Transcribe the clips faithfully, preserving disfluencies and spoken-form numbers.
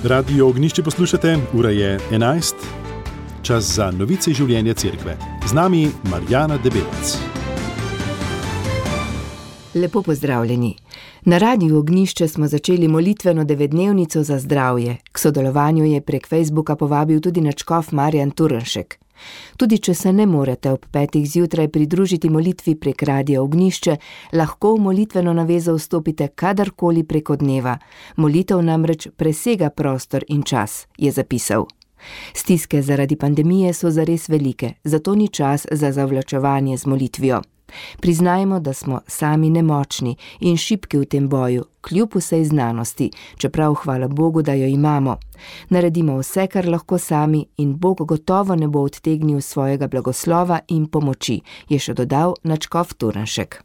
Radio Ognjišče poslušate, ura je enajst, čas za novice življenja cerkve. Z nami Marjana Debelec. Lepo pozdravljeni. Na Radiu Ognjišče smo začeli molitveno devetdnevnico za zdravje. K sodelovanju je prek Facebooka povabil tudi nadškof Marjan Turnšek. Tudi če se ne morete ob petih zjutraj pridružiti molitvi prek Radia Ognjišče, lahko v molitveno navezo vstopite kadarkoli preko dneva. Molitev namreč presega prostor in čas, je zapisal. Stiske zaradi pandemije so zares velike, zato ni čas za zavlačevanje z molitvijo. Priznajmo, da smo sami nemočni in šibki v tem boju, kljub vsej znanosti, čeprav hvala Bogu, da jo imamo. Naredimo vse, kar lahko sami, in Bog gotovo ne bo odtegnil svojega blagoslova in pomoči, je še dodal nadškof Turnšek.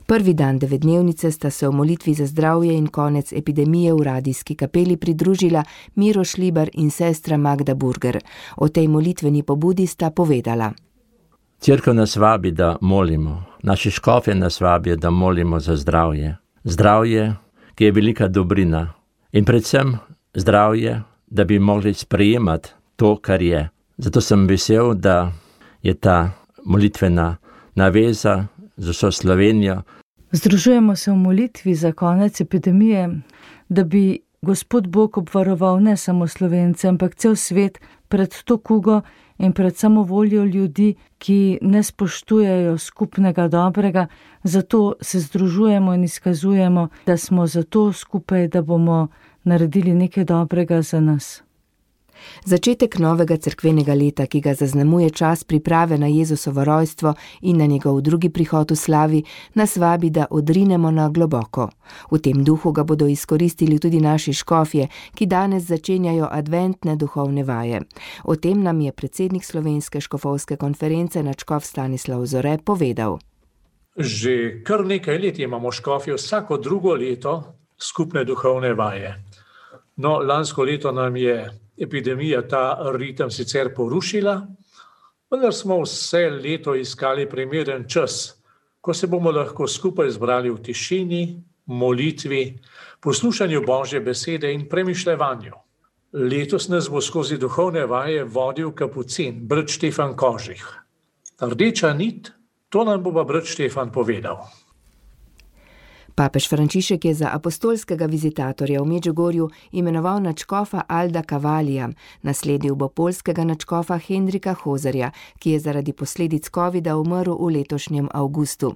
Prvi dan devetdnevnice sta se v molitvi za zdravje in konec epidemije v radijski kapeli pridružila Miro Šlibar in sestra Magda Burger. O tej molitveni pobudi sta povedala. Cerkev nas vabi, da molimo. Naši škofje nas vabijo, da molimo za zdravje. Zdravje, ki je velika dobrina. In predvsem zdravje, da bi mogli sprejemati to, kar je. Zato sem vesel, da je ta molitvena naveza za vso Slovenijo. Združujemo se v molitvi za konec epidemije, da bi Gospod Bog obvaroval ne samo Slovence, ampak cel svet pred to kugo in pred samovoljo ljudi, ki ne spoštujejo skupnega dobrega. Zato se združujemo in izkazujemo, da smo zato skupaj, da bomo naredili nekaj dobrega za nas. Začetek novega cerkvenega leta, ki ga zaznamuje čas priprave na Jezusovo rojstvo in na njegov drugi prihod v slavi, nas vabi, da odrinemo na globoko. V tem duhu ga bodo izkoristili tudi naši škofje, ki danes začenjajo adventne duhovne vaje. O tem nam je predsednik Slovenske škofovske konference nadškof Stanislav Zore povedal. Že kar nekaj let imamo škofje vsako drugo leto skupne duhovne vaje. No, lansko leto nam je epidemija ta ritem sicer porušila, vendar smo vse leto iskali primeren čas, ko se bomo lahko skupaj zbrali v tišini, molitvi, poslušanju Božje besede in premišljevanju. Letos nas bo skozi duhovne vaje vodil kapucin, brat Štefan Kožih. Rdeča nit, to nam bo pa brat Štefan povedal. Papež Frančišek je za apostolskega vizitatorja v Medžugorju imenoval nadškofa Alda Kavalija, nasledil bo poljskega nadškofa Hendrika Hozerja, ki je zaradi posledic covida umrl v letošnjem avgustu.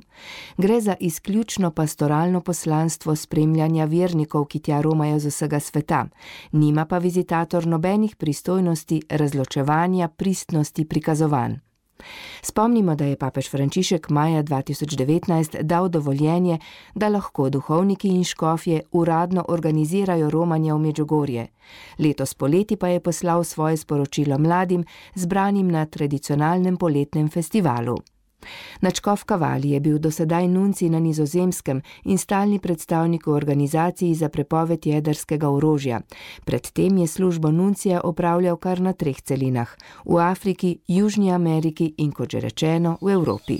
Gre za izključno pastoralno poslanstvo spremljanja vernikov, ki tja romajo z vsega sveta. Nima pa vizitator nobenih pristojnosti razločevanja pristnosti prikazovanj. Spomnimo, da je papež Frančišek maja dva tisoč devetnajst dal dovoljenje, da lahko duhovniki in škofje uradno organizirajo romanje v Medžugorje. Letos poleti pa je poslal svoje sporočilo mladim, zbranim na tradicionalnem poletnem festivalu. Nadškof Kavalij je bil dosedaj nuncij na Nizozemskem in stalni predstavnik v organizaciji za prepoved jedrskega orožja. Predtem je službo nuncija opravljal kar na treh celinah, v Afriki, Južni Ameriki in, kot že rečeno, v Evropi.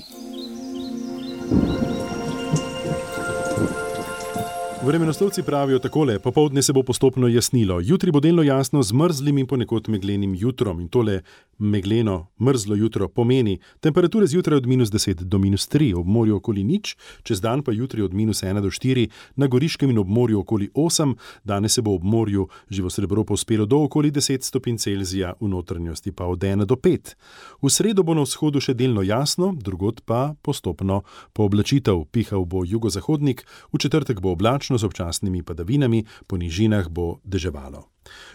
Vremenoslovci pravijo takole, popoldne se bo postopno jasnilo. Jutri bo delno jasno z mrzlim in ponekod meglenim jutrom in tole megleno, mrzlo jutro pomeni temperature zjutraj od minus deset do minus tri, ob morju okoli nič, čez dan pa jutri od minus ena do štiri, na Goriškem in ob morju okoli osem, danes se bo ob morju živo srebro povzpelo do okoli deset stopinj Celzija, v notranjosti pa od ena do pet. V sredo bo na vzhodu še delno jasno, drugod pa postopno pooblačitev. Pihal bo jugozahodnik, v četrtek bo oblačno z občasnimi padavinami, po nižinah bo deževalo.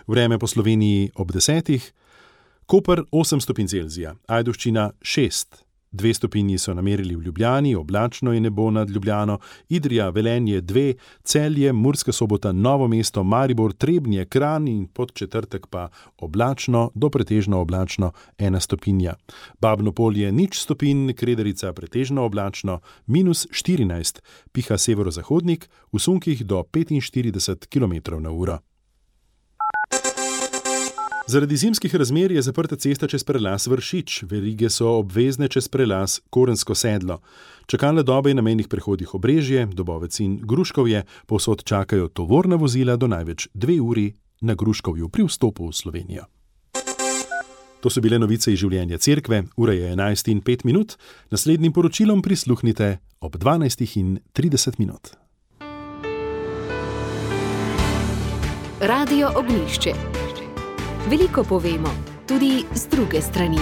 Vreme po Sloveniji ob desetih, Koper osem stopinj Celzija, Ajdovščina šest, dve stopinji so namerili v Ljubljani, oblačno je nebo nad Ljubljano, Idrija, Velenje dve, Celje, Murska Sobota, Novo mesto, Maribor, Trebnje, Kranj in pod četrtek pa oblačno do pretežno oblačno ena stopinja. Babno Polje nič stopinj, Krederica pretežno oblačno, minus štirinajst, piha severozahodnik, v sunkih do petinštirideset kilometrov na uro. Zaradi zimskih razmer je zaprta cesta čez prelaz Vršič, verige so obvezne čez prelaz Korensko sedlo. Čakalne dobe na mejnih prehodih Obrežje, Dobovec in Gruškovje povsod čakajo tovorna vozila do največ dve uri na Gruškovju pri vstopu v Slovenijo. To so bile novice iz življenja cerkve, ura je enajst in pet minut, naslednjim poročilom prisluhnite ob dvanajst in trideset minut. Radio Ognjišče. Veliko povemo, tudi z druge strani.